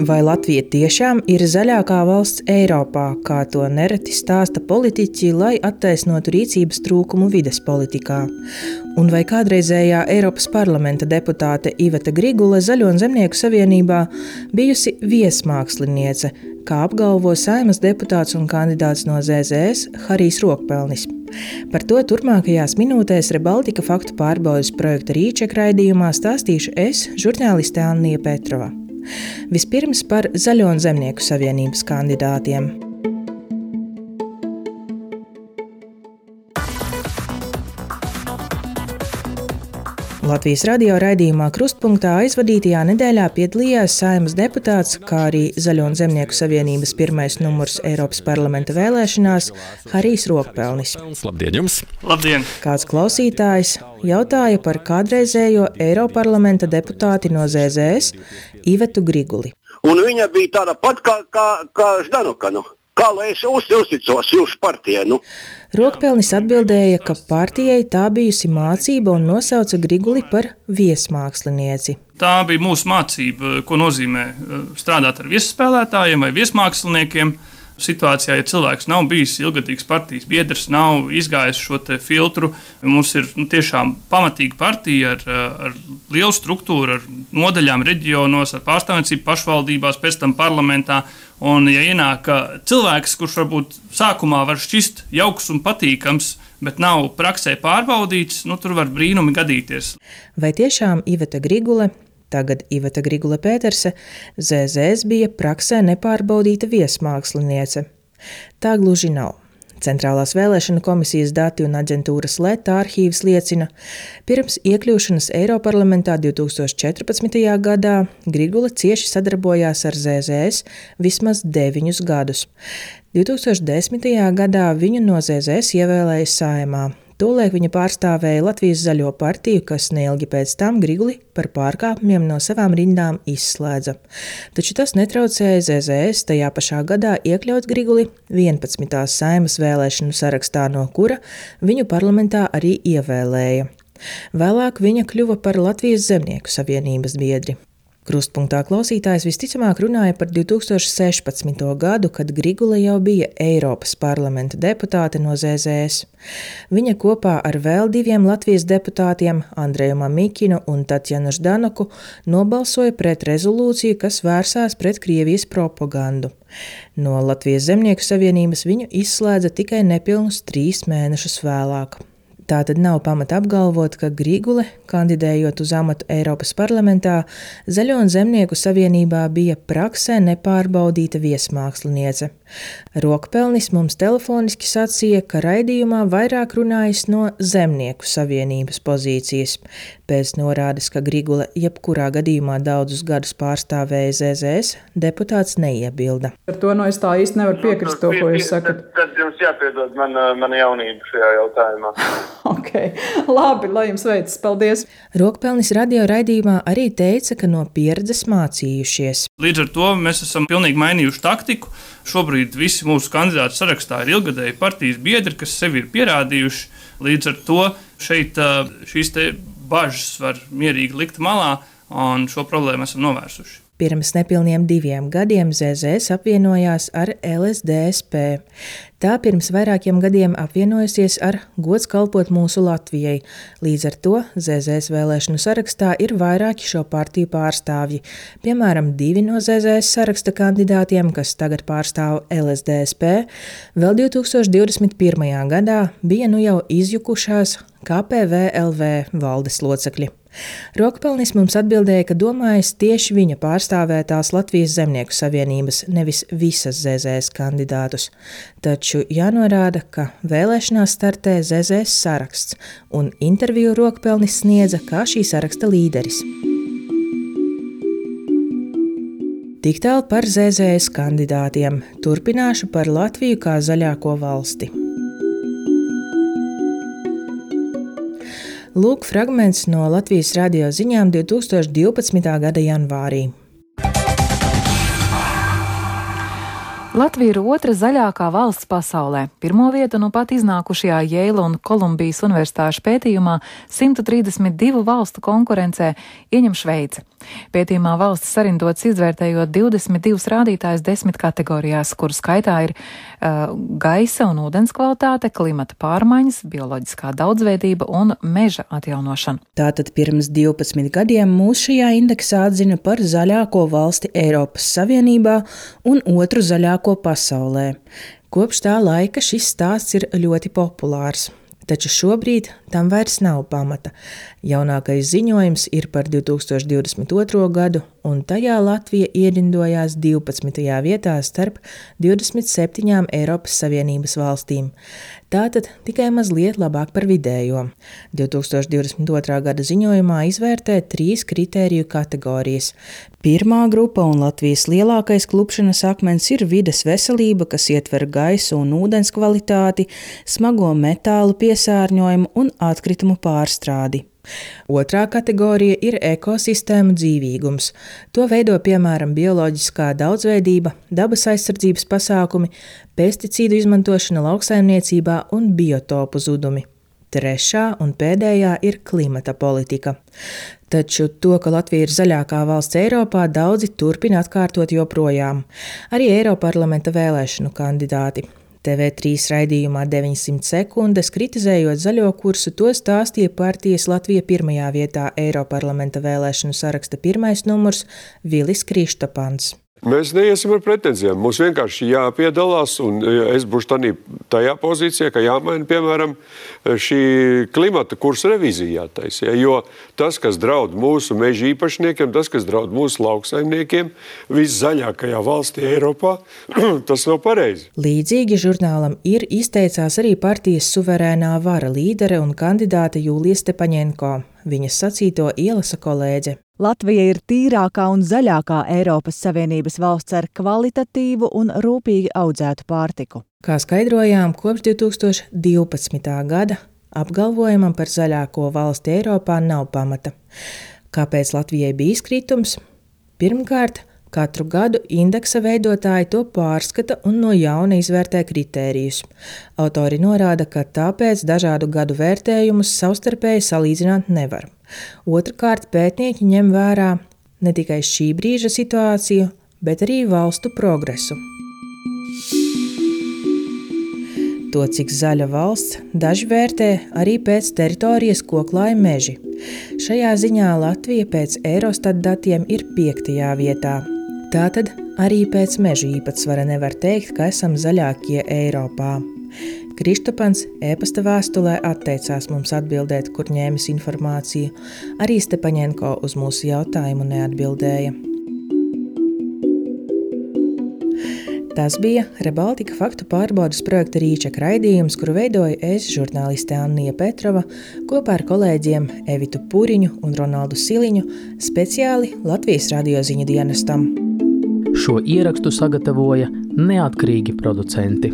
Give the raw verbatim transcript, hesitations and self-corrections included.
Vai Latvija tiešām ir zaļākā valsts Eiropā, kā to nereti stāsta politiķi, lai attaisnotu rīcības trūkumu vides politikā? Un vai kādreizējā Eiropas parlamenta deputāte Iveta Grigule Zaļo un Zemnieku savienībā bijusi viesmāksliniece, kā apgalvo Saeimas deputāts un kandidāts no Z Z S Harijs Rokpelnis? Par to turpmākajās minūtēs Rebaltika faktu pārbaudes projekta Rīček raidījumā stāstīšu es, žurnāliste Annija Petrova. Vispirms par Zaļo un Zemnieku savienības kandidātiem. Latvijas radio raidījumā Krustpunktā aizvadītajā nedēļā piedalījās Saeimas deputāts, kā arī Zaļo un Zemnieku savienības pirmais numurs Eiropas parlamenta vēlēšanās Harijs Rokpelnis. Labdien jums! Labdien! Kāds klausītājs jautāja par kādreizējo Eiroparlamenta deputāti no Z Z S Ivetu Griguli. Un viņa bija tāda pat kā, kā, kā Ždanuka, nu. Kā lai es uz, uzticos jūsu partijai, nu? Rokpelnis atbildēja, ka partijai tā bijusi mācība un nosauca Griguli par viesmākslinieci. Tā bija mūsu mācība, ko nozīmē strādāt ar viesspēlētājiem vai viesmāksliniekiem. Situācijā, ja cilvēks nav bijis ilgadīgs partijas biedrs, nav izgājis šo te filtru, mums ir nu, tiešām pamatīga partija ar, ar lielu struktūru, ar nodaļām reģionos, ar pārstāvniecību pašvaldībās, pēc tam parlamentā. Un, ja ienāk cilvēks, kurš varbūt sākumā var šķist jauks un patīkams, bet nav praksē pārbaudīts, nu, tur var brīnumi gadīties. Vai tiešām Iveta Grigule, tagad Iveta Grigule Pēterse, Z Z S bija praksē nepārbaudīta viesmāksliniece? Tā gluži nav. Centrālās vēlēšanu komisijas dati un aģentūras Leta arhīvs liecina, pirms iekļūšanas Eiroparlamentā divi tūkstoši četrpadsmitajā gadā Grigule cieši sadarbojās ar Z Z S vismaz deviņus gadus. divi tūkstoši desmitajā gadā viņu no Z Z S ievēlēja Saeimā. Tolaik viņa pārstāvēja Latvijas Zaļo partiju, kas neilgi pēc tam Griguli par pārkāpumiem no savām rindām izslēdza. Taču tas netraucēja Z Z S tajā pašā gadā iekļaut Griguli vienpadsmitās Saeimas vēlēšanu sarakstā, no kura viņu parlamentā arī ievēlēja. Vēlāk viņa kļuva par Latvijas Zemnieku savienības biedri. Krustpunktā klausītājs visticamāk runāja par divi tūkstoši sešpadsmito gadu, kad Grigule jau bija Eiropas parlamenta deputāte no Z Z S. Viņa kopā ar vēl diviem Latvijas deputātiem, Andreju Mamikinu un Tatjanu Ždanuku, nobalsoja pret rezolūciju, kas vērsās pret Krievijas propagandu. No Latvijas Zemnieku savienības viņu izslēdza tikai nepilnus trīs mēnešus vēlāk. Tātad nav pamata apgalvot, ka Grigule, kandidējot uz amatu Eiropas parlamentā, Zaļo un Zemnieku savienībā bija praksē nepārbaudīta viesmāksliniece. Rokpelnis mums telefoniski sacīja, ka raidījumā vairāk runājis no Zemnieku savienības pozīcijas. Pēc norādes, ka Grigule jebkurā gadījumā daudzus gadus pārstāvēja Z Z S, deputāts neiebilda. Ar to no es tā īsti nevaru piekrist to, ko jūs sakat. Tad, tad jums jāpiedod man, mana jaunība šajā jautājumā. Ok, labi, lai jums veicas, paldies. Rokpelnis radio raidījumā arī teica, ka no pieredzes mācījušies. Līdz ar to mēs esam pilnīgi mainījuši taktiku. Šobrīd visi mūsu kandidātu sarakstā ir ilgadēji partijas biedri, kas sevi ir pierādījuši. Līdz ar to šeit šīs te bažas var mierīgi likt malā, un šo problēmu esam novērsuši. Pirms nepilniem diviem gadiem Z Z S apvienojās ar L S D S P. Tā pirms vairākiem gadiem apvienojusies ar Gods kalpot mūsu Latvijai. Līdz ar to Z Z S vēlēšanu sarakstā ir vairāki šo partiju pārstāvji. Piemēram, divi no Z Z S saraksta kandidātiem, kas tagad pārstāv L S D S P, vēl divi tūkstoši divdesmit pirmajā gadā bija nu jau izjukušās K P V L V valdes locekļi. Rokpelnis mums atbildēja, ka domājis tieši viņa pārstāvētās Latvijas Zemnieku savienības, nevis visas Z Z S kandidātus. Taču jānorāda, ka vēlēšanās startē Z Z S saraksts, un interviju Rokpelnis sniedza kā šī saraksta līderis. Tik tālu par Z Z S kandidātiem. Turpināšu par Latviju kā zaļāko valsti. Lūk fragments no Latvijas radio ziņām divi tūkstoši divpadsmitā gada janvārī. Latvija ir otra zaļākā valsts pasaulē. Pirmo vietu nu pat iznākušajā Jeila un Kolumbijas universitāšu pētījumā simt trīsdesmit divu valstu konkurencē ieņem Šveice. Pētījumā valsts sarindots izvērtējot divdesmit divus rādītājus desmit kategorijās, kuru skaitā ir uh, gaisa un ūdens kvalitāte, klimata pārmaiņas, bioloģiskā daudzveidība un meža atjaunošana. Tātad pirms divpadsmit gadiem mūs šajā indeksā atzina par zaļāko valsti Eiropas Savienībā un otru zaļāko pasaulē. Kopš tā laika šis stāsts ir ļoti populārs. Taču šobrīd tam vairs nav pamata. Jaunākais ziņojums ir par divi tūkstoši divdesmit otro gadu, un tajā Latvija ierindojās divpadsmitajā vietā starp divdesmit septiņām Eiropas Savienības valstīm. Tātad tikai mazliet labāk par vidējo. divi tūkstoši divdesmit otrā gada ziņojumā izvērtē trīs kritēriju kategorijas. Pirmā grupa un Latvijas lielākais klupšanas akmens ir vides veselība, kas ietver gaisu un ūdens kvalitāti, smago metālu piesārņojumu un atkritumu pārstrādi. Otrā kategorija ir ekosistēmu dzīvīgums. To veido piemēram bioloģiskā daudzveidība, dabas aizsardzības pasākumi, pesticīdu izmantošana lauksaimniecībā un biotopu zudumi. Trešā un pēdējā ir klimata politika. Taču to, ka Latvija ir zaļākā valsts Eiropā, daudzi turpina atkārtot joprojām. Arī Eiroparlamenta vēlēšanu kandidāti. T V trīs raidījumā deviņsimt sekundes, kritizējot zaļo kursu, to stāstīja partijas Latvija pirmajā vietā Eiroparlamenta vēlēšanu saraksta pirmais numurs Vilis Kristopans. Mēs neiesim ar pretenzijām. Mums vienkārši jāpiedalās, un es būšu tādā, tajā pozīcijā, ka jāmaina, piemēram, šī klimata kursa revīzija jātaisa. Jo tas, kas draud mūsu meža īpašniekiem, tas, kas draud mūsu lauksaimniekiem, viszaļākajā valstī Eiropā, tas nav pareizi. Līdzīgi žurnālam ir izteicās arī partijas suverēnā vara līdere un kandidāte Julija Stepaņenko. Viņas sacīto ielasa kolēģe. Latvija ir tīrākā un zaļākā Eiropas Savienības valsts ar kvalitatīvu un rūpīgi audzētu pārtiku. Kā skaidrojām, kopš divi tūkstoši divpadsmitā gada apgalvojumam par zaļāko valsti Eiropā nav pamata. Kāpēc Latvijai bija izkritums? Pirmkārt, katru gadu indeksa veidotāji to pārskata un no jauna izvērtē kritērijus. Autori norāda, ka tāpēc dažādu gadu vērtējumus savstarpēji salīdzināt nevar. Otrkārt, pētnieki ņem vērā ne tikai šī brīža situāciju, bet arī valstu progresu. To, cik zaļa valsts, daži vērtē arī pēc teritorijas, ko klāj meži. Šajā ziņā Latvija pēc Eurostat datiem ir piektajā vietā. Tātad arī pēc mežu īpatsvara nevar teikt, ka esam zaļākie Eiropā. Kristopans e-pasta vēstulē atteicās mums atbildēt, kur ņēmis informāciju. Arī Stepaņenko uz mūsu jautājumu neatbildēja. Tas bija Rebaltika faktu pārbaudas projekta Rīčeka raidījums, kuru veidoja es, žurnāliste Annija Petrova, kopā ar kolēģiem Evitu Puriņu un Ronaldu Siliņu, speciāli Latvijas radio ziņu dienestam. Šo ierakstu sagatavoja neatkarīgi producenti.